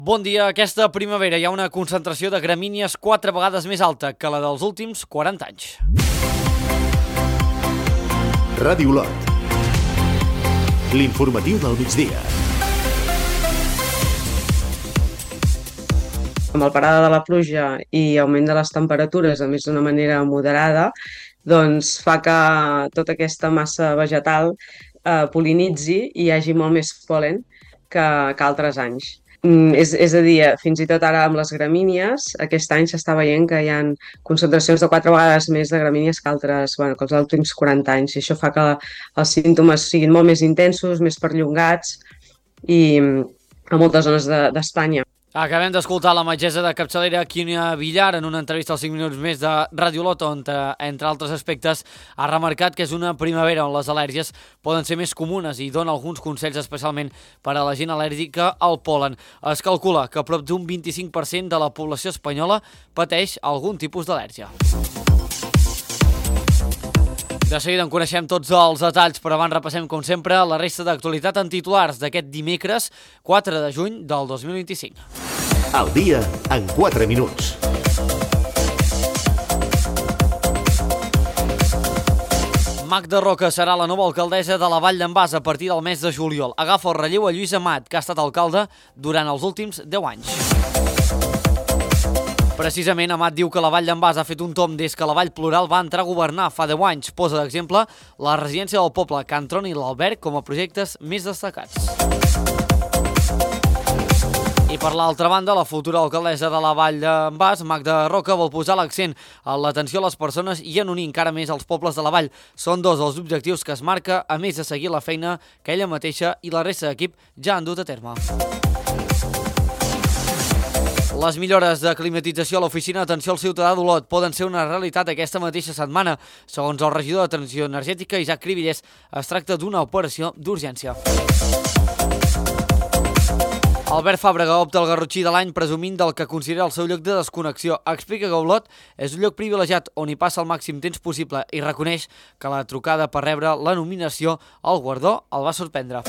Bon dia. Aquesta primavera hi ha una concentració de gramínies 4 vegades més alta que la dels últims 40 anys. Ràdio Lot. L'informatiu del migdia. Amb el parada de la pluja i augment de les temperatures, a més d'una manera moderada, doncs fa que tota aquesta massa vegetal pol·linitzi i hi hagi molt més pol·len que altres anys. És a dir, fins i tot ara amb les gramínies, aquest any s'està veient que hi ha concentracions de 4 vegades més de gramínies que altres, que els últims 40 anys, i això fa que els símptomes siguin molt més intensos, més perllongats i a moltes zones d'Espanya. Acabem d'escoltar la metgessa de capçalera Quínia Villar en una entrevista als 5 minuts més de Ràdio Lot, on, entre altres aspectes, ha remarcat que és una primavera on les al·lèrgies poden ser més comunes i dona alguns consells especialment per a la gent al·lèrgica al pol·len. Es calcula que prop d'un 25% de la població espanyola pateix algun tipus d'al·lèrgia. De seguida en coneixem tots els detalls, però abans repassem, com sempre, la resta d'actualitat en titulars d'aquest dimecres 4 de juny del 2025. El dia en 4 minuts. Magda Roca serà la nova alcaldessa de la Vall d'en Bas a partir del mes de juliol. Agafa el relleu a Lluís Amat, que ha estat alcalde durant els últims 10 anys. Precisament, Amat diu que la Vall d'en Bas ha fet un tomb des que la Vall Plural va entrar a governar fa 10 anys. Posa d'exemple la residència del poble, Can Tron i l'Alberg com a projectes més destacats. I per l'altra banda, la futura alcaldessa de la Vall d'en Bas, Magda Roca, vol posar l'accent en l'atenció a les persones i en unir encara més els pobles de la Vall. Són dos els objectius que es marca, a més de seguir la feina que ella mateixa i la resta d'equip ja han dut a terme. Les millores de climatització a l'oficina d'atenció al ciutadà d'Olot poden ser una realitat aquesta mateixa setmana. Segons el regidor de Transició Energètica, Isaac Cribillers, es tracta d'una operació d'urgència. Albert Fàbrega opta al Garrotxí de l'any presumint del que considera el seu lloc de desconnexió. Explica que Olot és un lloc privilegiat on hi passa el màxim temps possible i reconeix que la trucada per rebre la nominació al guardó el va sorprendre.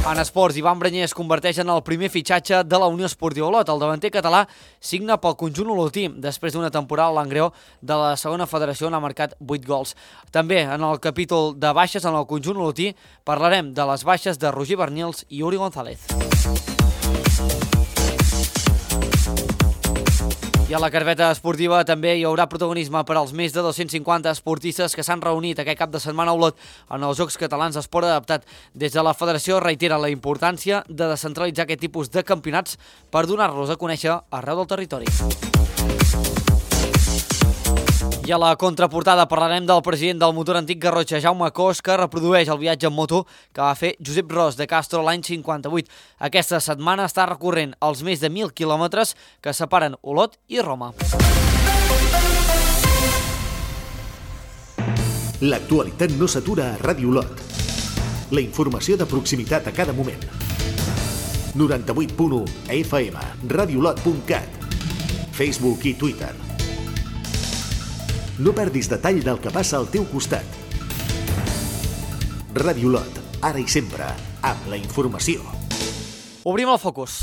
En esports, Ivan Branyer es converteix en el primer fitxatge de la Unió Esportiva Olot. El davanter català signa pel conjunt olotí després d'una temporada a l'Angreó de la segona federació on ha marcat 8 gols. També en el capítol de baixes en el conjunt olotí parlarem de les baixes de Roger Bernils i Uri González. I a la carpeta esportiva també hi haurà protagonisme per als més de 250 esportistes que s'han reunit aquest cap de setmana a Olot en els Jocs Catalans d'Esport Adaptat. Des de la federació reitera la importància de descentralitzar aquest tipus de campionats per donar-los a conèixer arreu del territori. I a la contraportada parlarem del president del motor antic Garrotxa, Jaume Cos, que reprodueix el viatge en moto que va fer Josep Ros de Castro l'any 58. Aquesta setmana està recorrent els més de 1.000 quilòmetres que separen Olot i Roma. L'actualitat no s'atura a Ràdio Lot. La informació de proximitat a cada moment. 98.1 FM, radiolot.cat, Facebook i Twitter. No perdis detall del que passa al teu costat. Ràdio Lot, ara i sempre, amb la informació. Obrim el focus.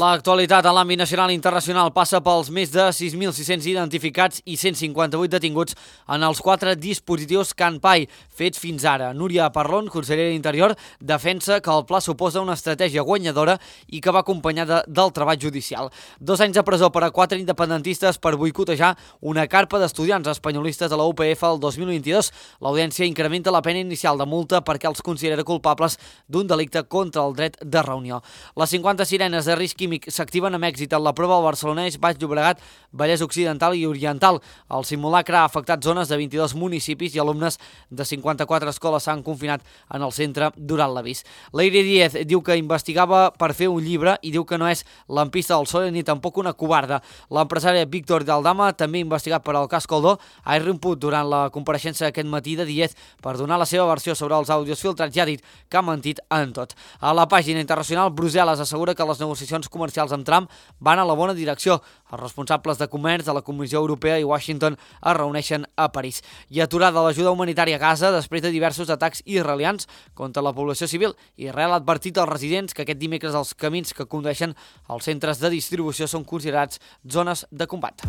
L'actualitat a l'àmbit nacional i internacional passa pels més de 6.600 identificats i 158 detinguts en els 4 dispositius CanPai fets fins ara. Núria Parlon, consellera d'Interior, defensa que el pla suposa una estratègia guanyadora i que va acompanyada del treball judicial. 2 anys de presó per a 4 independentistes per boicotejar una carpa d'estudiants espanyolistes de la UPF el 2022. L'audiència incrementa la pena inicial de multa perquè els considera culpables d'un delicte contra el dret de reunió. Les 50 sirenes de risc químic s'activen amb èxit en la prova al Barcelonès, Baix Llobregat, Vallès Occidental i Oriental. El simulacre ha afectat zones de 22 municipis i alumnes de 54 escoles s'han confinat en el centre durant l'avís. Leire Díez diu que investigava per fer un llibre i diu que no és lampista del PSOE ni tampoc una covarda. L'empresària Víctor Daldama, també investigat per al cas Coldo, ha irromput durant la compareixença aquest matí de Díez per donar la seva versió sobre els àudios filtrats i ha dit que ha mentit en tot. A la pàgina internacional, Brussel·les assegura que les negociacions comercials amb Trump van a la bona direcció. Els responsables de comerç de la Comissió Europea i Washington es reuneixen a París. I aturada l'ajuda humanitària a Gaza després de diversos atacs israelians contra la població civil. Israel ha advertit als residents que aquest dimecres els camins que condueixen als centres de distribució són considerats zones de combat.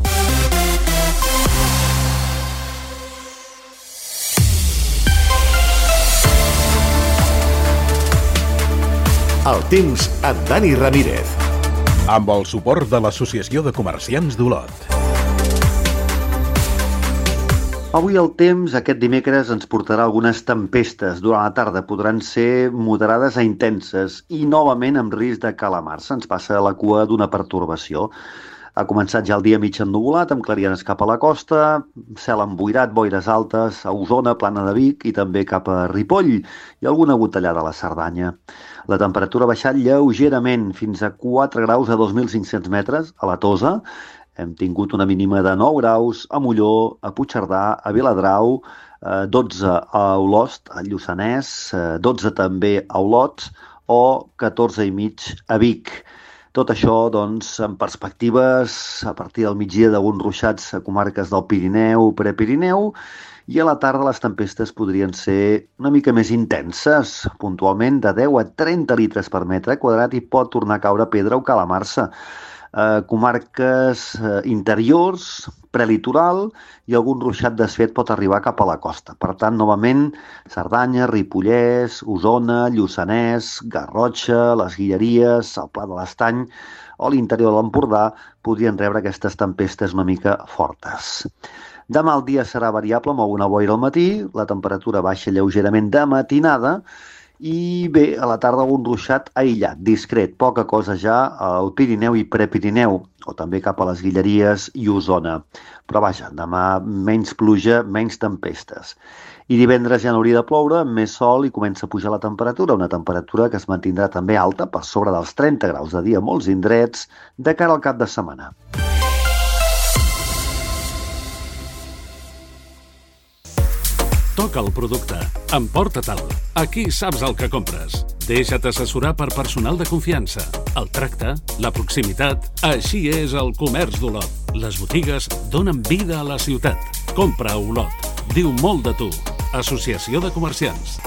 El temps amb Dani Ramírez. Amb el suport de l'Associació de Comerciants d'Olot. Avui el temps, aquest dimecres, ens portarà algunes tempestes. Durant la tarda podran ser moderades a intenses i novament amb risc de calamar-se. Ens passa a la cua d'una pertorbació. Ha començat ja el dia mig ennuvolat, amb clarianes cap a la costa, cel emboirat, boires altes, a Osona, Plana de Vic i també cap a Ripoll i alguna gotellada a la Cerdanya. La temperatura ha baixat lleugerament fins a 4 graus a 2.500 metres a la Tosa. Hem tingut una mínima de 9 graus a Molló, a Puigcerdà, a Viladrau, 12 a Olost, a Lluçanès, 12 també a Olot o 14 i mig a Vic. Tot això, doncs, en perspectives a partir del migdia d'alguns ruixats a comarques del Pirineu, Prepirineu, i a la tarda les tempestes podrien ser una mica més intenses, puntualment de 10 a 30 litres per metre quadrat i pot tornar a caure pedra o calamar-se. Comarques interiors, prelitoral i algun ruixat desfet pot arribar cap a la costa. Per tant, novament, Cerdanya, Ripollès, Osona, Lluçanès, Garrotxa, les Guilleries, el Pla de l'Estany o l'interior de l'Empordà podrien rebre aquestes tempestes una mica fortes. Demà el dia serà variable amb alguna boira al matí, la temperatura baixa lleugerament de matinada i bé, a la tarda algun ruixat aïllat, discret, poca cosa ja al Pirineu i Prepirineu, o també cap a les Guilleries i Osona. Però vaja, demà menys pluja, menys tempestes. I divendres ja n'hauria de ploure, amb més sol i comença a pujar la temperatura, una temperatura que es mantindrà també alta per sobre dels 30 graus de dia a molts indrets de cara al cap de setmana. Toca el producte. Emporta-te'l. Aquí saps el que compres. Deixa't assessorar per personal de confiança. El tracte, la proximitat... Així és el comerç d'Olot. Les botigues donen vida a la ciutat. Compra a Olot. Diu molt de tu. Associació de Comerciants.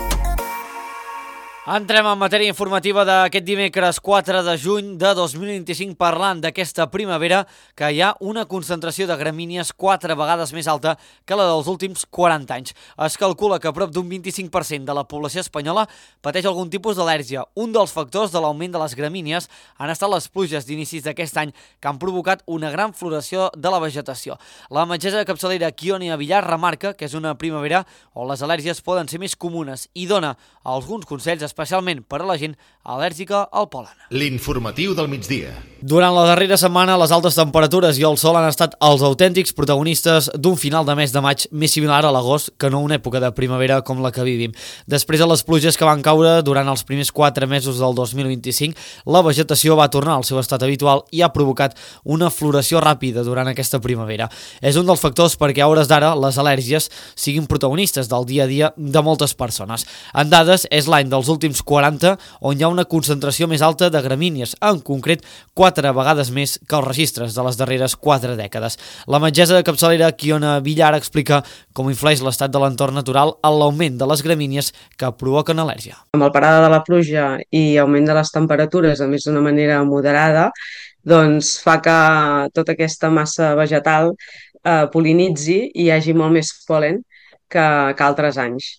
Entrem en matèria informativa d'aquest dimecres 4 de juny de 2025 parlant d'aquesta primavera que hi ha una concentració de gramínies 4 vegades més alta que la dels últims 40 anys. Es calcula que prop d'un 25% de la població espanyola pateix algun tipus d'al·lèrgia. Un dels factors de l'augment de les gramínies han estat les pluges d'inicis d'aquest any que han provocat una gran floració de la vegetació. La metgessa de capçalera Kionia Villar remarca que és una primavera on les al·lèrgies poden ser més comunes i dona alguns consells especialment per a la gent al·lèrgica al pol·len. L'informatiu del migdia. Durant la darrera setmana, les altes temperatures i el sol han estat els autèntics protagonistes d'un final de mes de maig més similar a l'agost que no una època de primavera com la que vivim. Després de les pluges que van caure durant els primers 4 mesos del 2025, la vegetació va tornar al seu estat habitual i ha provocat una floració ràpida durant aquesta primavera. És un dels factors perquè a hores d'ara les al·lèrgies siguin protagonistes del dia a dia de moltes persones. En dades, és l'any dels últims 40 on hi ha una concentració més alta de gramínies, en concret 4 vegades més que els registres de les darreres 4 dècades. La metgessa de capçalera Kionia Villar explica com influeix l'estat de l'entorn natural en l'augment de les gramínies que provoquen al·lèrgia. Amb el parada de la pluja i augment de les temperatures, a més d'una manera moderada, doncs fa que tota aquesta massa vegetal pol·linitzi i hi hagi molt més pol·len que altres anys.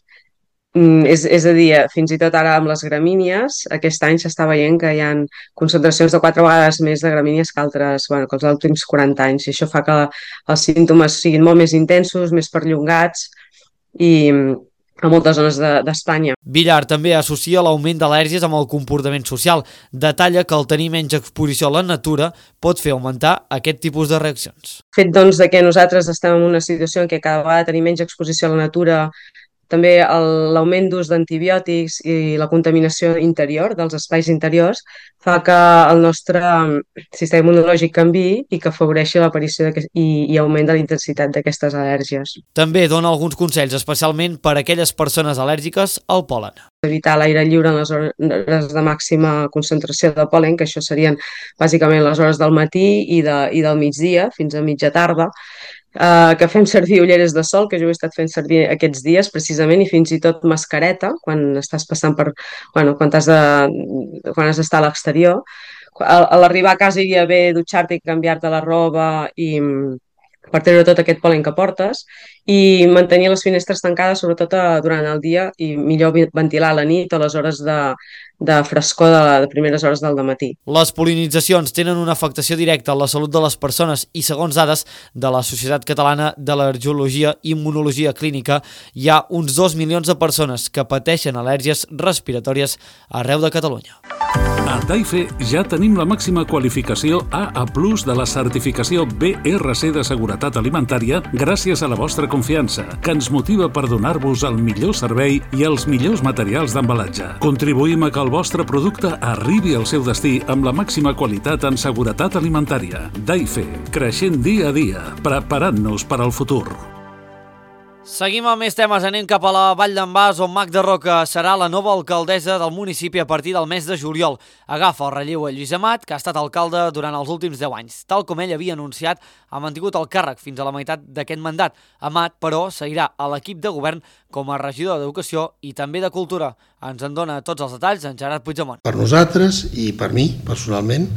És a dir, fins i tot ara amb les gramínies, aquest any s'està veient que hi ha concentracions de 4 vegades més de gramínies que altres, que els últims 40 anys. I això fa que els símptomes siguin molt més intensos, més perllongats i a moltes zones d'Espanya. Villar també associa l'augment d'al·lèrgies amb el comportament social. Detalla que el tenir menys exposició a la natura pot fer augmentar aquest tipus de reaccions. El fet, doncs, de que nosaltres estem en una situació en què cada vegada tenim menys exposició a la natura També l'augment d'ús d'antibiòtics i la contaminació interior dels espais interiors fa que el nostre sistema immunològic canviï i que afavoreixi l'aparició i augment de la intensitat d'aquestes al·lèrgies. També dona alguns consells, especialment per a aquelles persones al·lèrgiques al pol·len. Evitar l'aire lliure en les hores de màxima concentració de pol·len, que això serien bàsicament les hores del matí i del migdia fins a mitja tarda, que fem servir ulleres de sol, que jo ho he estat fent servir aquests dies precisament, i fins i tot mascareta quan estàs passant quan has d'estar a l'exterior. A l'arribar a casa iria bé dutxar-te i canviar-te la roba per treure tot aquest pol·len que portes i mantenir les finestres tancades, sobretot durant el dia, i millor ventilar a la nit o les hores de frescor de primeres hores del matí. Les pol·linitzacions tenen una afectació directa a la salut de les persones i, segons dades de la Societat Catalana d'Al·lergologia i Immunologia Clínica, hi ha uns 2 milions de persones que pateixen al·lèrgies respiratòries arreu de Catalunya. A Daife ja tenim la màxima qualificació AA+ de la certificació BRC de seguretat alimentària gràcies a la vostra confiança, que ens motiva per donar-vos el millor servei i els millors materials d'embalatge. Contribuïm a que el vostre producte arribi al seu destí amb la màxima qualitat en seguretat alimentària. Daife, creixent dia a dia, preparant-nos per al futur. Seguim amb més temes, anem cap a la Vall d'en Bas, on Magda Roca serà la nova alcaldessa del municipi a partir del mes de juliol. Agafa el relleu a Lluís Amat, que ha estat alcalde durant els últims 10 anys. Tal com ell havia anunciat, ha mantingut el càrrec fins a la meitat d'aquest mandat. Amat, però, seguirà a l'equip de govern com a regidor d'Educació i també de Cultura. Ens en dona tots els detalls en Gerard Puigdemont. Per nosaltres i per mi, personalment,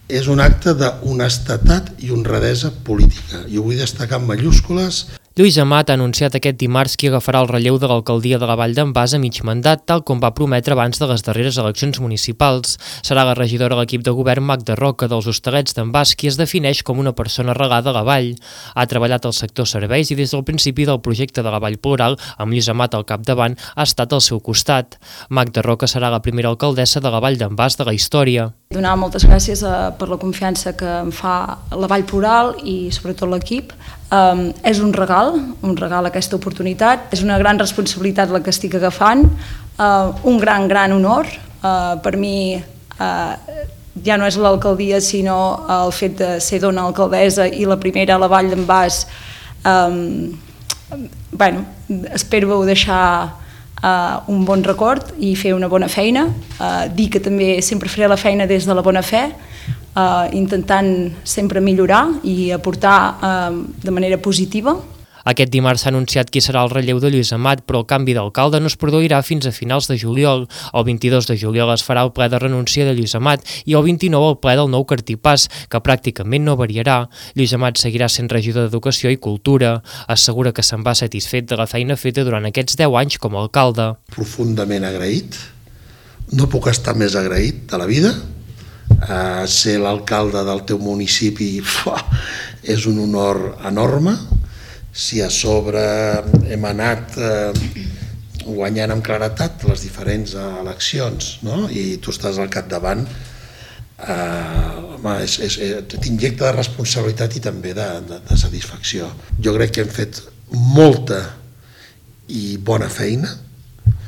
és un acte d'honestedat i honradesa política. I ho vull destacar en majúscules. Lluís Amat ha anunciat aquest dimarts qui agafarà el relleu de l'alcaldia de la Vall d'en Bas a mig mandat, tal com va prometre abans de les darreres eleccions municipals. Serà la regidora a l'equip de govern Magda Roca dels Hostalets d'en Bas, qui es defineix com una persona regada a la Vall. Ha treballat al sector serveis i des del principi del projecte de la Vall Plural, amb Lluís Amat al capdavant, ha estat al seu costat. Magda Roca serà la primera alcaldessa de la Vall d'en Bas de la història. Donar moltes gràcies per la confiança que em fa la Vall Plural i sobretot l'equip. És un regal aquesta oportunitat, és una gran responsabilitat la que estic agafant, un gran honor. Per mi ja no és l'alcaldia sinó el fet de ser dona alcaldessa i la primera a la Vall d'en Bas. Espero deixar un bon record i fer una bona feina, dir que també sempre faré la feina des de la bona fe, intentant sempre millorar i aportar de manera positiva. Aquest dimarts s'ha anunciat qui serà el relleu de Lluís Amat, però el canvi d'alcalde no es produirà fins a finals de juliol. El 22 de juliol es farà el ple de renúncia de Lluís Amat i el 29 el ple del nou cartipàs, que pràcticament no variarà. Lluís Amat seguirà sent regidor d'Educació i Cultura. Assegura que se'n va satisfet de la feina feta durant aquests 10 anys com a alcalde. Profundament agraït. No puc estar més agraït de la vida. Ser l'alcalde del teu municipi és un honor enorme. Si a sobre hem anat guanyant amb claretat les diferents eleccions, no? I tu estàs al capdavant, t'injecta de responsabilitat i també de satisfacció. Jo crec que hem fet molta i bona feina.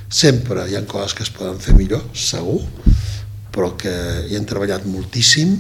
Sempre hi ha coses que es poden fer millor, segur, però que hi hem treballat moltíssim.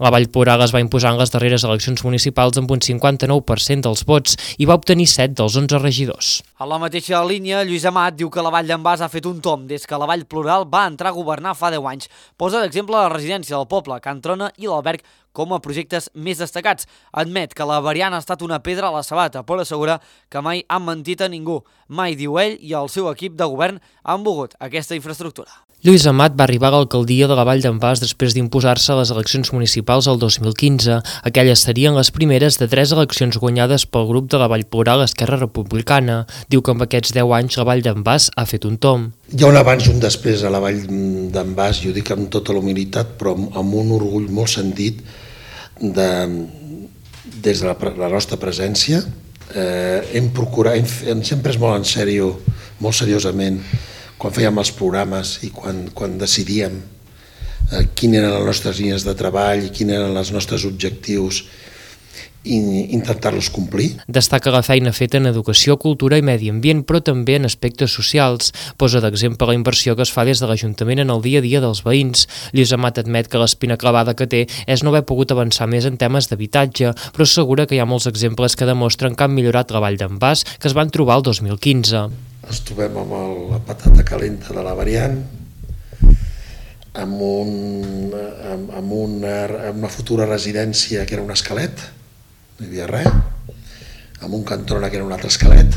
La Vall Plural es va imposar en les darreres eleccions municipals amb un 59% dels vots i va obtenir 7 dels 11 regidors. A la mateixa línia, Lluís Amat diu que la Vall d'en Bas ha fet un tomb des que la Vall Plural va entrar a governar fa 10 anys. Posa d'exemple la residència del poble, Can Trona i l'Alberg com a projectes més destacats. Admet que la variant ha estat una pedra a la sabata, però assegura que mai han mentit a ningú. Mai, diu ell, i el seu equip de govern han volgut aquesta infraestructura. Lluís Amat va arribar a l'alcaldia de la Vall d'en Bas després d'imposar-se a les eleccions municipals el 2015. Aquelles serien les primeres de 3 eleccions guanyades pel grup de la Vall Plural Esquerra Republicana. Diu que amb aquests 10 anys la Vall d'en Bas ha fet un tomb. Hi ha un abans i un després a la Vall d'en Bas, i ho dic amb tota la humilitat, però amb un orgull molt sentit des de la nostra presència. Hem pres molt en sèrio, molt seriosament, quan fèiem els programes i quan decidíem quines eren les nostres línies de treball i quins eren els nostres objectius, i intentar-los complir. Destaca la feina feta en educació, cultura i medi ambient, però també en aspectes socials. Posa d'exemple la inversió que es fa des de l'Ajuntament en el dia a dia dels veïns. Lluís Amat admet que l'espina clavada que té és no haver pogut avançar més en temes d'habitatge, però assegura que hi ha molts exemples que demostren que han millorat la Vall d'en Bas, que es van trobar el 2015. Ens trobem amb la patata calenta de la variant, amb una futura residència que era un esquelet, no hi havia res, amb un Cantrona que era un altre esquelet,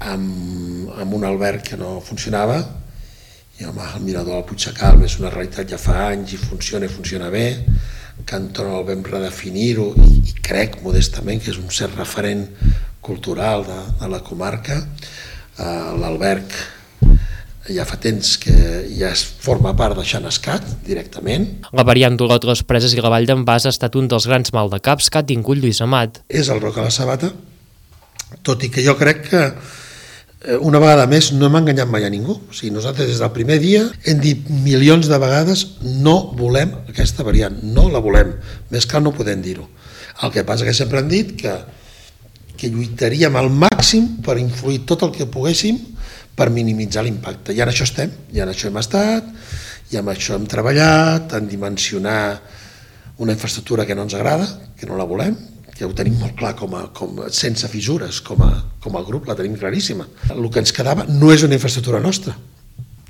amb un alberg que no funcionava, i home, el mirador al Puigsecal és una realitat ja fa anys i funciona bé. Cantrona el vam redefinir-ho i crec modestament que és un cert referent cultural de la comarca. L'alberg ja fa temps que ja forma part de Xenescat directament. La variant d'Olot, les Preses i la Vall d'en Bas ha estat un dels grans maldecaps que ha tingut Lluís Amat. És el Roc a la Sabata, tot i que jo crec que una vegada més no hem enganyat mai a ningú. O sigui, nosaltres des del primer dia hem dit milions de vegades no volem aquesta variant, no la volem, més clar no podem dir-ho. El que passa que sempre hem dit que lluitaríem al màxim per influir tot el que poguéssim per minimitzar l'impacte. I en això estem, i en això hem estat, i amb això hem treballat, en dimensionar una infraestructura que no ens agrada, que no la volem, que ho tenim molt clar sense fissures, com a grup la tenim claríssima. El que ens quedava no és una infraestructura nostra,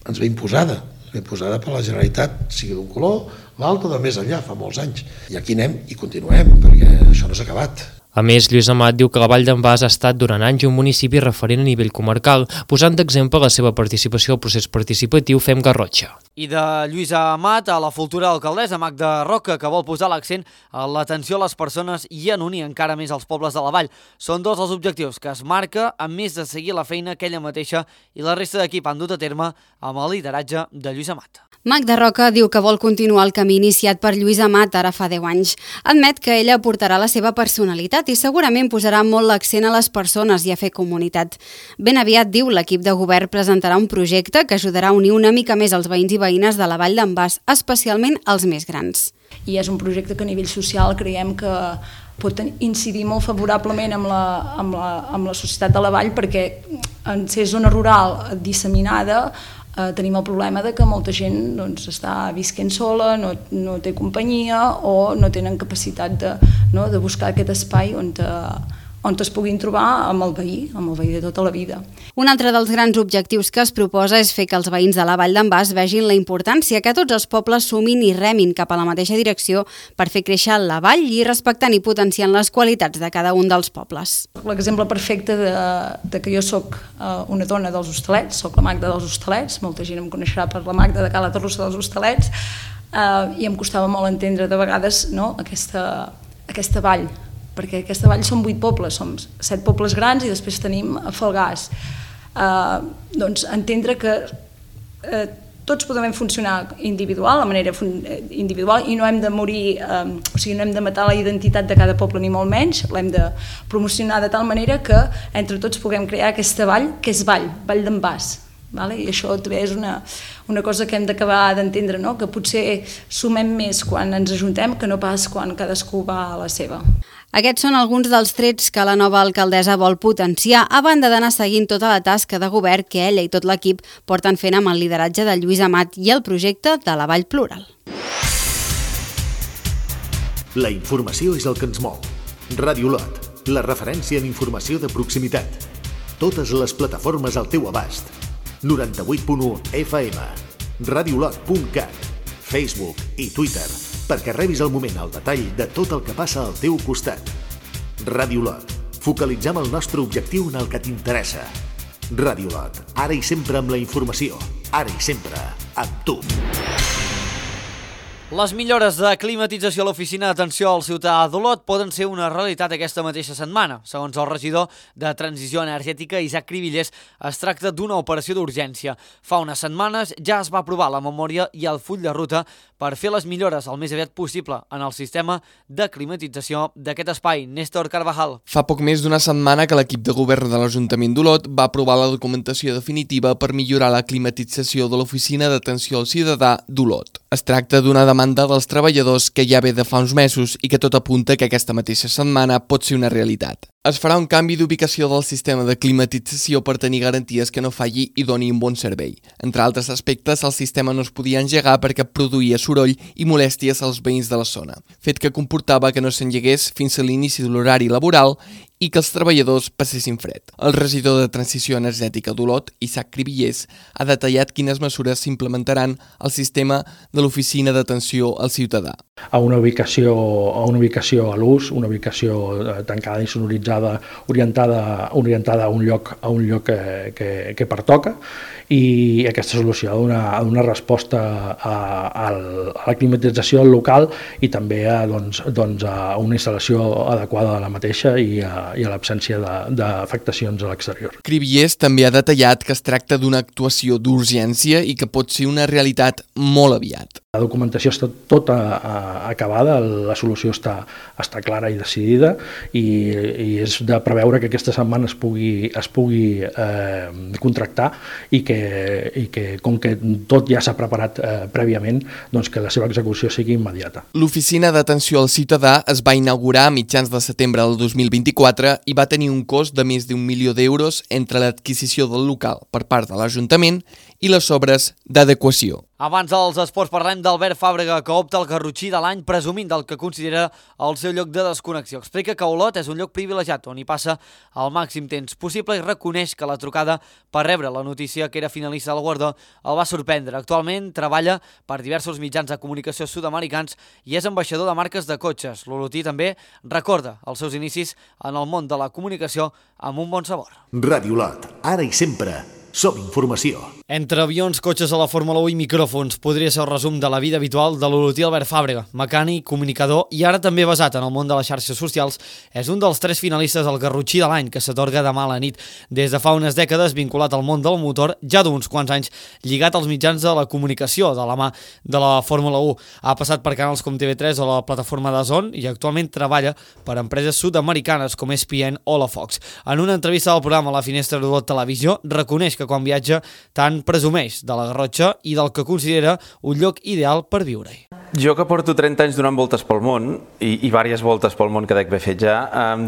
ens ve imposada per la Generalitat, sigui d'un color, l'altre de més enllà, fa molts anys. I aquí anem i continuem, perquè això no s'ha acabat. A més, Lluís Amat diu que la Vall d'en Bas ha estat durant anys un municipi referent a nivell comarcal, posant d'exemple la seva participació al procés participatiu Fem Garrotxa. I de Lluís Amat a la futura alcaldessa Magda Roca, que vol posar l'accent en l'atenció a les persones i en unir encara més els pobles de la Vall. Són dos els objectius que es marca, a més de seguir la feina que ella mateixa i la resta d'equip han dut a terme amb el lideratge de Lluís Amat. Magda Roca diu que vol continuar el camí iniciat per Lluís Amat ara fa 10 anys. Admet que ella aportarà la seva personalitat i segurament posarà molt l'accent a les persones i a fer comunitat. Ben aviat, diu, l'equip de govern presentarà un projecte que ajudarà a unir una mica més els veïns i veïnes de la Vall d'en Bas, especialment els més grans. I és un projecte que a nivell social creiem que pot incidir molt favorablement amb la societat de la Vall, perquè en ser zona rural disseminada tenim el problema de que molta gent està visquent sola, no té companyia o no tenen capacitat de buscar aquest espai on es puguin trobar amb el veí de tota la vida. Un altre dels grans objectius que es proposa és fer que els veïns de la Vall d'en Bas vegin la importància que tots els pobles sumin i remin cap a la mateixa direcció per fer créixer la vall i respectant i potenciant les qualitats de cada un dels pobles. L'exemple perfecte de que jo soc una dona dels Hostalets, soc la Magda dels Hostalets, molta gent em coneixerà per la Magda de Cala Torrossa dels Hostalets, i em costava molt entendre de vegades aquesta vall, perquè aquesta vall són 8 pobles, som 7 pobles grans i després tenim Falgars. Doncs entendre que tots podem funcionar de manera individual i no hem de morir, o sigui, no hem de matar la identitat de cada poble ni molt menys, l'hem de promocionar de tal manera que entre tots puguem crear aquesta vall, que és Vall d'en Bas. I això també és una cosa que hem d'acabar d'entendre, que potser sumem més quan ens ajuntem que no pas quan cadascú va a la seva. Aquests són alguns dels trets que la nova alcaldessa vol potenciar, a banda d'anar seguint tota la tasca de govern que ella i tot l'equip porten fent amb el lideratge de Lluís Amat i el projecte de la Vall Plural. La informació és el que ens mou. Ràdio Olot, la referència en informació de proximitat. Totes les plataformes al teu abast. 98.1 FM, radiolot.cat, Facebook i Twitter, perquè rebis al moment el detall de tot el que passa al teu costat. Ràdio Olot, focalitzem el nostre objectiu en el que t'interessa. Ràdio Olot, ara i sempre amb la informació, ara i sempre amb tu. Les millores de climatització a l'oficina d'atenció al ciutadà d'Olot poden ser una realitat aquesta mateixa setmana. Segons el regidor de Transició Energètica, Isaac Cribillers, es tracta d'una operació d'urgència. Fa unes setmanes ja es va aprovar la memòria i el full de ruta per fer les millores el més aviat possible en el sistema de climatització d'aquest espai. Néstor Carvajal. Fa poc més d'una setmana que l'equip de govern de l'Ajuntament d'Olot va aprovar la documentació definitiva per millorar la climatització de l'oficina d'atenció al ciutadà d'Olot. Es tracta d'una demanda dels treballadors que ja ve de fa uns mesos i que tot apunta que aquesta mateixa setmana pot ser una realitat. Es farà un canvi d'ubicació del sistema de climatització per tenir garanties que no falli i doni un bon servei. Entre altres aspectes, el sistema no es podia engegar perquè produïa soroll i molèsties als veïns de la zona, fet que comportava que no s'engegués fins a l'inici de l'horari laboral i que els treballadors passessin fred. El regidor de Transició Energètica d'Olot, Isaac Cribillers, ha detallat quines mesures s'implementaran al sistema de l'Oficina d'Atenció al Ciutadà. A una ubicació a l'ús, una ubicació tancada i sonoritzada, orientada a un lloc que pertoca, i aquesta solució ha de donar resposta a la climatització del local i també a una instal·lació adequada de la mateixa i a l'absència d'afectacions a l'exterior. Cribillers també ha detallat que es tracta d'una actuació d'urgència i que pot ser una realitat molt aviat. La documentació està tota acabada, la solució està clara i decidida i és de preveure que aquesta setmana es pugui contractar i que com que tot ja s'ha preparat prèviament, doncs que la seva execució sigui immediata. L'Oficina d'Atenció al Ciutadà es va inaugurar a mitjans de setembre del 2024 i va tenir un cost de més d'1 milió d'euros entre l'adquisició del local per part de l'Ajuntament i les obres d'adequació. Abans dels esports parlem d'Albert Fàbrega, que opta al Garrotxí de l'any presumint del que considera el seu lloc de desconnexió. Explica que Olot és un lloc privilegiat on hi passa el màxim temps possible i reconeix que la trucada per rebre la notícia que era finalista del guardó el va sorprendre. Actualment treballa per diversos mitjans de comunicació sud-americans i és ambaixador de marques de cotxes. L'olotí també recorda els seus inicis en el món de la comunicació amb un bon sabor. Ràdio Olot, ara i sempre. Som informació. Entre avions, cotxes a la Fórmula 1 i micròfons, podria ser el resum de la vida habitual de l'olotí Albert Fàbrega, mecànic, comunicador i ara també basat en el món de les xarxes socials. És un dels 3 finalistes del Garrotxí de l'any, que s'atorga demà a la nit. Des de fa unes dècades vinculat al món del motor, ja d'uns quants anys lligat als mitjans de la comunicació de la mà de la Fórmula 1. Ha passat per canals com TV3 o la plataforma DAZN i actualment treballa per empreses sud-americanes com ESPN o la Fox. En una entrevista al programa La Finestra d'Olot Televisió, reconeix que quan viatja tant presumeix de la Garrotxa i del que considera un lloc ideal per viure-hi. Jo que porto 30 anys donant voltes pel món, i diverses voltes pel món que dec haver fet ja,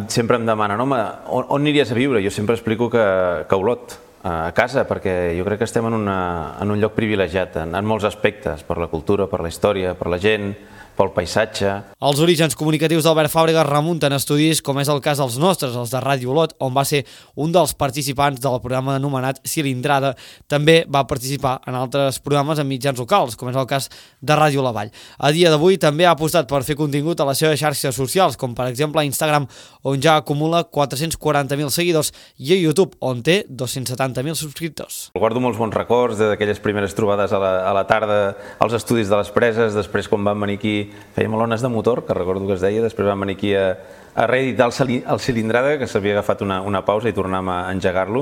sempre em demanen, home, on aniries a viure? Jo sempre explico que Olot, a casa, perquè jo crec que estem en un lloc privilegiat en molts aspectes, per la cultura, per la història, per la gent, pel paisatge. Els orígens comunicatius d'Albert Fàbrega remunten a estudis com és el cas dels nostres, els de Ràdio Olot, on va ser un dels participants del programa anomenat Cilindrada. També va participar en altres programes en mitjans locals, com és el cas de Ràdio La Vall. A dia d'avui també ha apostat per fer contingut a les seves xarxes socials, com per exemple a Instagram, on ja acumula 440.000 seguidors, i a YouTube, on té 270.000 subscriptors. Guardo molts bons records d'aquelles primeres trobades a la tarda als estudis de les Preses, després quan vam venir aquí fèiem alones de motor, que recordo que es deia, després vam venir aquí a reeditar el Cilindrada, que s'havia agafat una pausa i tornàvem a engegar-lo,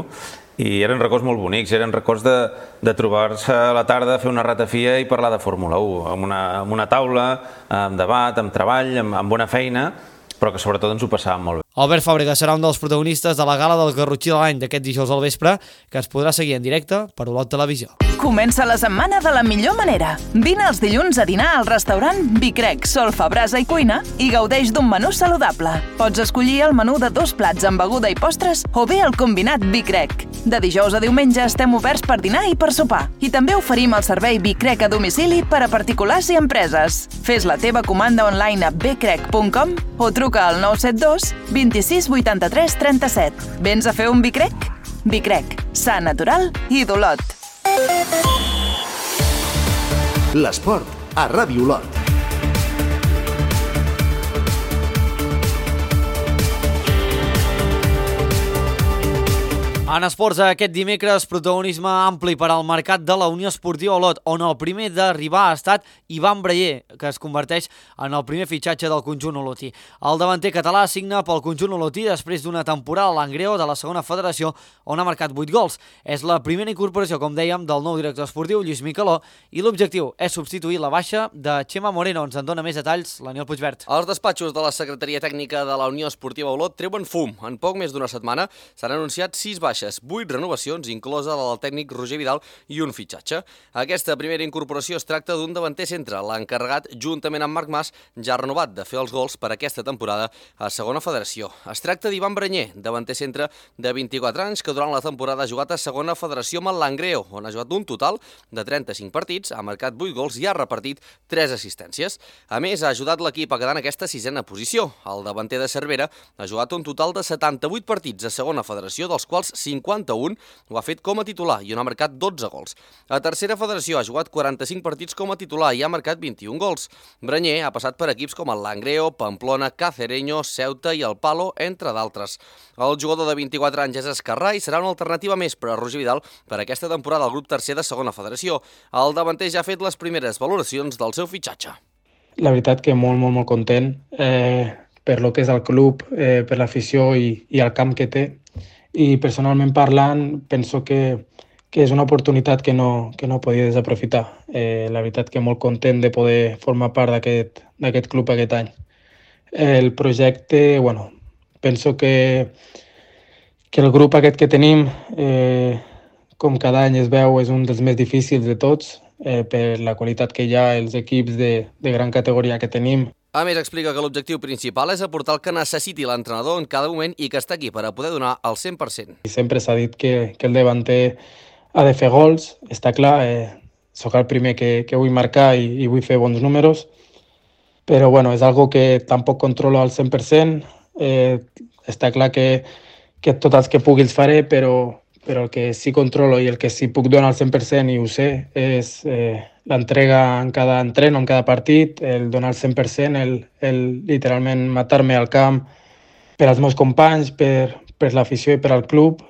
i eren records molt bonics, eren records de trobar-se a la tarda, fer una ratafia i parlar de Fórmula 1, amb una taula, amb debat, amb treball, amb bona feina, però que sobretot ens ho passàvem molt bé. Albert Fàbrega serà un dels protagonistes de la gala del Garrotxí de l'any d'aquest dijous al vespre, que es podrà seguir en directe per Olot Televisió. Comença la setmana de la millor manera. Vine els dilluns a dinar al restaurant Vicrec, Solfa, Brasa i Cuina i gaudeix d'un menú saludable. Pots escollir el menú de 2 plats amb beguda i postres o bé el combinat Vicrec. De dijous a diumenge estem oberts per dinar i per sopar. I també oferim el servei Vicrec a domicili per a particulars i empreses. Fes la teva comanda online a vicrec.com o truca al 972 26 83 37. Vens a fer un Vicrec? Vicrec, sa, natural i d'Olot. L'esport a Ràdio Olot. En esports, aquest dimecres, protagonisme ampli per al mercat de la Unió Esportiva Olot, on el primer d'arribar ha estat Ivan Breyer, que es converteix en el primer fitxatge del conjunt olotí. El davanter català signa pel conjunt olotí després d'una temporada a l'Angreo de la segona federació, on ha marcat 8 gols. És la primera incorporació, com dèiem, del nou director esportiu, Lluís Micaló, i l'objectiu és substituir la baixa de Xema Moreno. Ens en dona més detalls l'Aniol Puigvert. Els despatxos de la Secretaria Tècnica de la Unió Esportiva Olot treuen fum. En poc més d'una setmana s'han anunciat 6 baixes baixes, 8 renovacions, inclosa la del tècnic Roger Vidal i un fitxatge. Aquesta primera incorporació es tracta d'un davanter centre, l'encarregat, juntament amb Marc Mas, ja renovat de fer els gols per aquesta temporada a Segona Federació. Es tracta d'Ivan Branyer, davanter centre de 24 anys, que durant la temporada ha jugat a Segona Federació amb el Langreo, on ha jugat un total de 35 partits, ha marcat 8 gols i ha repartit 3 assistències. A més, ha ajudat l'equip a quedar en aquesta 6a posició. El davanter de Cervera ha jugat un total de 78 partits a Segona Federació, dels quals 51 ho ha fet com a titular i on ha marcat 12 gols. A Tercera Federació ha jugat 45 partits com a titular i ha marcat 21 gols. Branyer ha passat per equips com el Langreo, Pamplona, Cacereño, Ceuta i el Palo, entre d'altres. El jugador de 24 anys és esquerrà i serà una alternativa més per a Roger Vidal per aquesta temporada al grup tercer de Segona Federació. El davanter ja ha fet les primeres valoracions del seu fitxatge. La veritat que molt content per lo que és el club, per l'afició i el camp que té. I personalment parlant, penso que és una oportunitat que no podia desaprofitar. La veritat que molt content de poder formar part d'aquest club aquest any. El projecte, penso que el grup aquest que tenim, com cada any es veu, és un dels més difícils de tots, per la qualitat que hi ha, els equips de gran categoria que tenim. A més, explica que l'objectiu principal és aportar el que necessiti l'entrenador en cada moment i que està aquí per a poder donar el 100%. Sempre s'ha dit que el davanter ha de fer gols, està clar, sóc el primer que vull marcar i vull fer bons números, però és algo que tampoc controlo al 100%, està clar que tots els que pugui els faré, però el que sí controlo i el que sí puc donar al 100% i ho sé és l'entrega en cada entreno, en cada partit, el donar el 100%, el literalment matar-me al camp per als meus companys, per l'afició i per al club.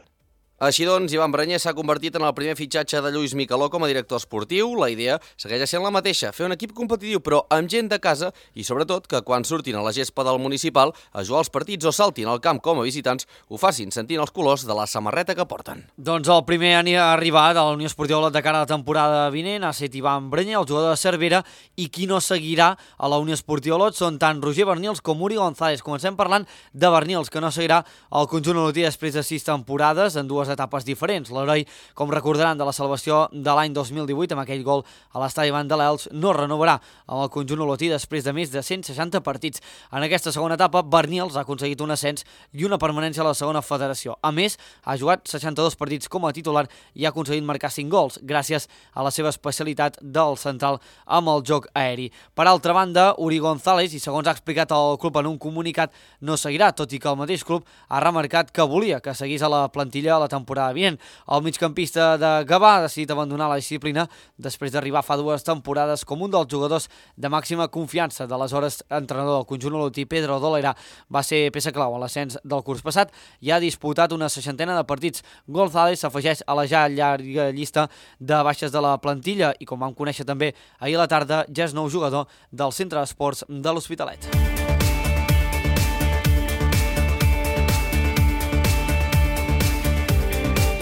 Així doncs, Ivan Branyer s'ha convertit en el primer fitxatge de Lluís Micaló com a director esportiu. La idea segueix sent la mateixa, fer un equip competitiu però amb gent de casa i sobretot que quan surtin a la gespa del municipal a jugar els partits o saltin al camp com a visitants ho facin sentint els colors de la samarreta que porten. Doncs el primer arribat a la Unió Esportiva Olot de cara a la temporada vinent ha estat Ivan Branyer, el jugador de Cervera, i qui no seguirà a la Unió Esportiva Olot són tant Roger Bernils com Uri González. Comencem parlant de Bernils, que no seguirà el conjunt olotí després de 6 temporades en 2 etapes diferents. L'heroi, com recordaran, de la salvació de l'any 2018 amb aquell gol a l'estadi Van de l'Elx, no renovarà amb el conjunt olotí després de més de 160 partits. En aquesta segona etapa, Bernils ha aconseguit un ascens i una permanència a la segona federació. A més, ha jugat 62 partits com a titular i ha aconseguit marcar 5 gols, gràcies a la seva especialitat del central amb el joc aeri. Per altra banda, Uri González, i segons ha explicat el club en un comunicat, no seguirà, tot i que el mateix club ha remarcat que volia que seguís a la plantilla la temporada vinent. El migcampista de Gavà ha decidit abandonar la disciplina després d'arribar fa 2 temporades com un dels jugadors de màxima confiança. D'aleshores, entrenador del conjunt olotí, Pedro Dolera, va ser peça clau a l'ascens del curs passat i ha disputat una 60ena de partits. González s'afegeix a la ja llarga llista de baixes de la plantilla i, com vam conèixer també ahir a la tarda, ja és nou jugador del Centre d'Esports de l'Hospitalet.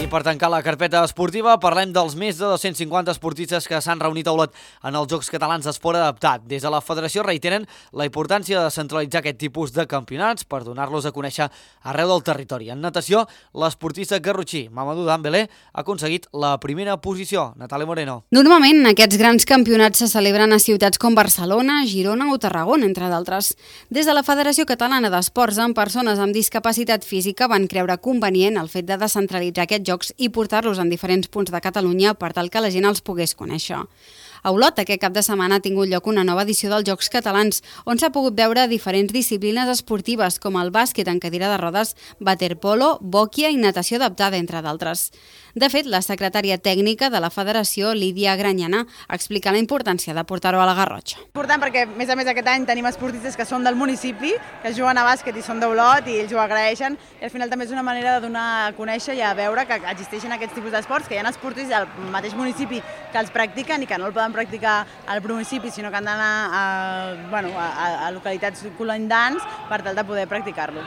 I per tancar la carpeta esportiva parlem dels més de 250 esportistes que s'han reunit a Olot en els Jocs Catalans d'Esport Adaptat. Des de la federació reiteren la importància de centralitzar aquest tipus de campionats per donar-los a conèixer arreu del territori. En natació, l'esportista garrotxí Mamadou Dembélé ha aconseguit la primera posició. Natàlia Moreno. Normalment aquests grans campionats se celebren a ciutats com Barcelona, Girona o Tarragona, entre d'altres. Des de la Federació Catalana d'Esports amb persones amb discapacitat física van creure convenient el fet de descentralitzar aquests jocs i portar-los en diferents punts de Catalunya per tal que la gent els pogués conèixer. A Olot, aquest cap de setmana ha tingut lloc una nova edició dels Jocs Catalans, on s'ha pogut veure diferents disciplines esportives com el bàsquet en cadira de rodes, waterpolo, bòquia i natació adaptada, entre d'altres. De fet, la secretària tècnica de la Federació, Lídia Granyana, explica la importància de portar-ho a la Garrotxa. Important perquè, a més a més, aquest any tenim esportistes que són del municipi, que juguen a bàsquet i són d'Olot i ells ho agraeixen, i al final també és una manera de donar a conèixer i a veure que existeixen aquests tipus d'esports, que hi ha esportistes al mateix municipi que els practiquen i que no el poden practicar al municipi, sinó que han d'anar a localitats colindants per tal de poder practicar-lo.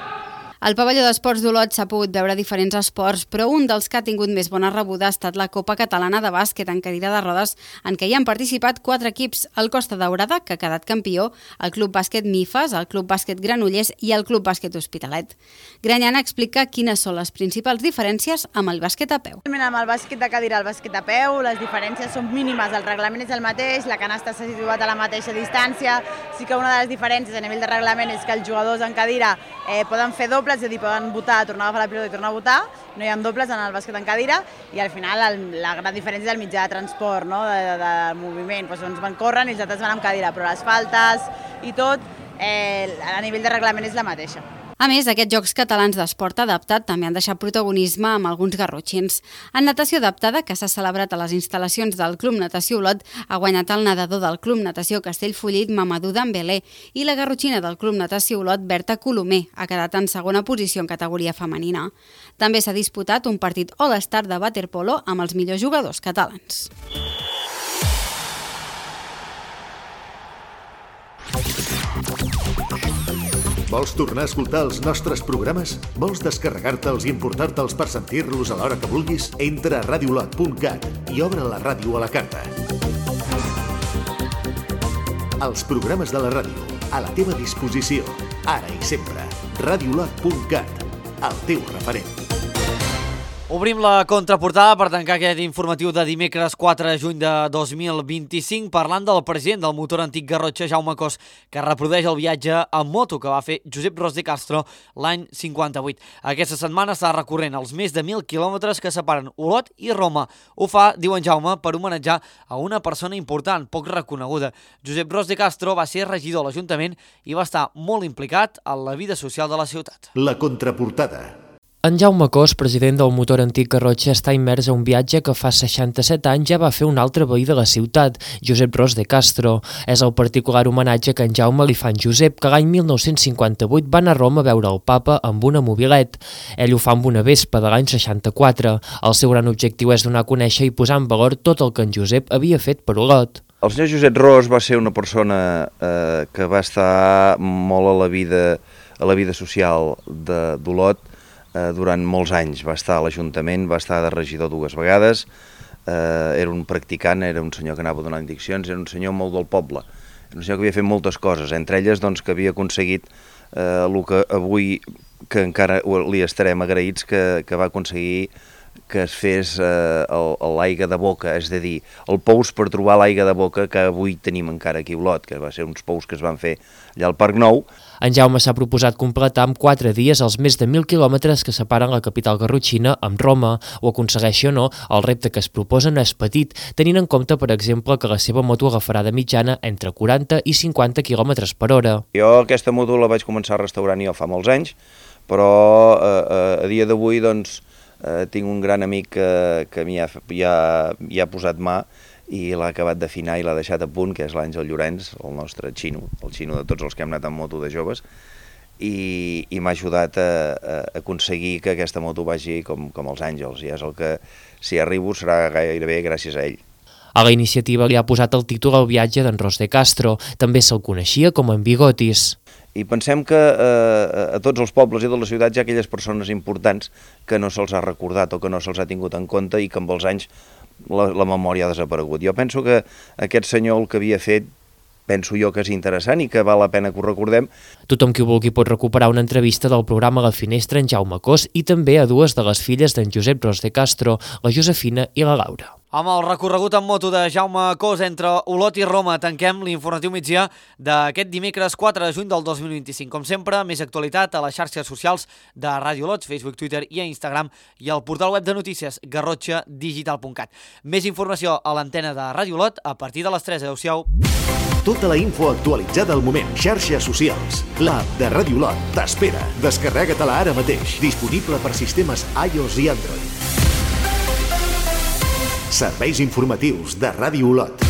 Al pavelló d'esports d'Olot s'ha pogut veure diferents esports, però un dels que ha tingut més bona rebuda ha estat la Copa Catalana de Bàsquet en cadira de rodes, en què hi han participat 4 equips: el Costa Daurada, que ha quedat campió, el Club Bàsquet Mifes, el Club Bàsquet Granollers i el Club Bàsquet Hospitalet. Grañana explica quines són les principals diferències amb el bàsquet a peu. Amb el bàsquet de cadira i el bàsquet a peu, les diferències són mínimes, el reglament és el mateix, la canasta s'ha situat a la mateixa distància. Sí que una de les diferències a nivell de reglament és que els jugadors en cadira poden fer dobles, és a dir, poden votar, tornar a agafar la pilota i tornar a votar, no hi ha dobles en el bàsquet en cadira, i al final la gran diferència és el mitjà de transport, de moviment, uns van córrer i els altres van amb cadira, però les faltes i tot, a nivell de reglament és la mateixa. A més, aquests Jocs Catalans d'Esport Adaptat també han deixat protagonisme amb alguns garrotxins. En natació adaptada, que s'ha celebrat a les instal·lacions del Club Natació Olot, ha guanyat el nedador del Club Natació Castellfollit, Mamadou Dembélé, i la garrotxina del Club Natació Olot, Berta Colomer, ha quedat en segona posició en categoria femenina. També s'ha disputat un partit All-Star de waterpolo amb els millors jugadors catalans. Vols tornar a escoltar els nostres programes? Vols descarregar-te'ls i emportar-te'ls per sentir-los a l'hora que vulguis? Entra a radiolot.cat i obre la ràdio a la carta. Els programes de la ràdio, a la teva disposició, ara i sempre. Radiolot.cat, el teu referent. Obrim la contraportada per tancar aquest informatiu de dimecres 4 de juny de 2025 parlant del president del motor antic Garrotxa, Jaume Cos, que reprodueix el viatge en moto que va fer Josep Ros de Castro l'any 58. Aquesta setmana està recorrent els més de 1.000 quilòmetres que separen Olot i Roma. Ho fa, diu en Jaume, per homenatjar a una persona important, poc reconeguda. Josep Ros de Castro va ser regidor a l'Ajuntament i va estar molt implicat en la vida social de la ciutat. La contraportada. En Jaume Cos, president del motor antic Garrotxa, està immers a un viatge que fa 67 anys ja va fer un altre veí de la ciutat, Josep Ros de Castro. És el particular homenatge que en Jaume li fa en Josep, que l'any 1958 va anar a Roma a veure el papa amb una mobilet. Ell ho fa amb una Vespa de l'any 64. El seu gran objectiu és donar a conèixer i posar en valor tot el que en Josep havia fet per Olot. El senyor Josep Ros va ser una persona que va estar molt a la vida social d'Olot durant molts anys. Va estar a l'Ajuntament, va estar de regidor 2 vegades, era un practicant, era un senyor que anava donant diccions, era un senyor molt del poble, era un senyor que havia fet moltes coses, entre elles doncs, que havia aconseguit el que avui, que encara li estarem agraïts, que va aconseguir que es fes l'aigua de boca, és a dir, el pous per trobar l'aigua de boca que avui tenim encara aquí a Olot, que va ser uns pous que es van fer allà al Parc Nou. En Jaume s'ha proposat completar amb 4 dies els més de 1.000 quilòmetres que separen la capital garrotxina amb Roma. Ho aconsegueixi o no, el repte que es proposa no és petit, tenint en compte, per exemple, que la seva moto agafarà de mitjana entre 40 i 50 km per hora. Jo aquesta moto la vaig començar a restaurar jo fa molts anys, però a dia d'avui doncs, tinc un gran amic que m'hi ha posat mà i l'ha acabat d'afinar i l'ha deixat a punt, que és l'Àngel Llorenç, el nostre xino, el xino de tots els que hem anat amb moto de joves, i m'ha ajudat a aconseguir que aquesta moto vagi com els àngels, i és el que, si arribo, serà gairebé gràcies a ell. A la iniciativa li ha posat el títol al viatge d'en Ros de Castro, també se'l coneixia com en Bigotis. I pensem que a tots els pobles i de les ciutats hi ha aquelles persones importants que no se'ls ha recordat o que no se'ls ha tingut en compte i que amb els anys la memòria ha desaparegut. Jo penso que aquest senyor el que havia fet, penso jo que és interessant i que val la pena que ho recordem. Tothom qui ho vulgui pot recuperar una entrevista del programa La Finestra en Jaume Cos i també a 2 de les filles d'en Josep Ros de Castro, la Josefina i la Laura. Amb el recorregut en moto de Jaume Cos entre Olot i Roma tanquem l'informatiu migdia d'aquest dimecres 4 de juny del 2025. Com sempre, més actualitat a les xarxes socials de Ràdio Olot, Facebook, Twitter i Instagram i al portal web de notícies garrotxadigital.cat. Més informació a l'antena de Ràdio Olot a partir de les 3. Adéu-siau. Tota la info actualitzada al moment. Xarxes socials. L'app de Ràdio Olot t'espera. Descarrega-te-la ara mateix. Disponible per sistemes iOS i Android. Serveis informatius de Ràdio Olot.